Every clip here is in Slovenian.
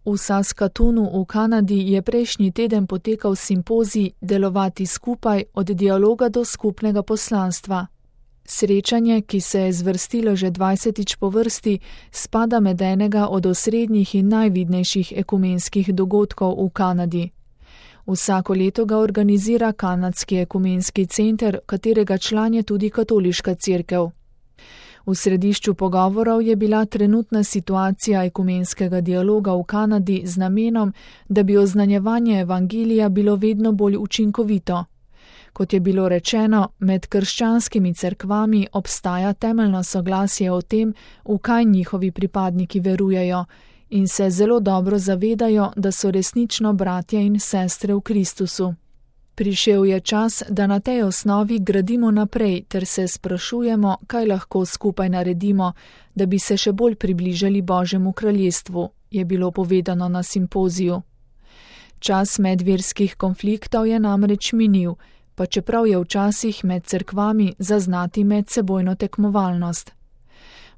V Saskatoonu v Kanadi je prejšnji teden potekal simpozij Delovati skupaj od dialoga do skupnega poslanstva. Srečanje, ki se je zvrstilo že 20. po vrsti, spada med enega od osrednjih in najvidnejših ekumenskih dogodkov v Kanadi. Vsako leto ga organizira Kanadski ekumenski center, katerega član je tudi katoliška cerkev. V središču pogovorov je bila trenutna situacija ekumenskega dialoga v Kanadi z namenom, da bi oznanjevanje evangelija bilo vedno bolj učinkovito. Kot je bilo rečeno, med krščanskimi cerkvami obstaja temeljno soglasje o tem, v kaj njihovi pripadniki verujejo, in se zelo dobro zavedajo, da so resnično bratje in sestre v Kristusu. Prišel je čas, da na tej osnovi gradimo naprej ter se sprašujemo, kaj lahko skupaj naredimo, da bi se še bolj približali Božjemu kraljestvu, je bilo povedano na simpoziju. Čas medverskih konfliktov je namreč minil, pa čeprav je včasih med cerkvami zaznati medsebojno tekmovalnost.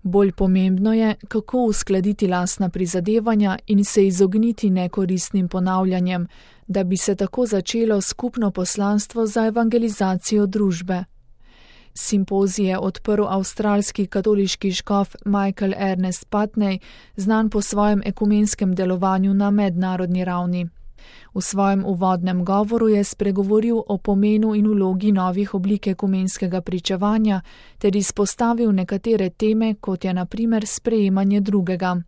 Bolj pomembno je, kako uskladiti lastna prizadevanja in se izogniti nekoristnim ponavljanjem, da bi se tako začelo skupno poslanstvo za evangelizacijo družbe. Simpozij je odprl avstralski katoliški škof Michael Ernest Putney, znan po svojem ekumenskem delovanju na mednarodni ravni. V svojem uvodnem govoru je spregovoril o pomenu in vlogi novih oblik ekumenskega pričevanja ter izpostavil nekatere teme, kot je na primer sprejemanje drugega.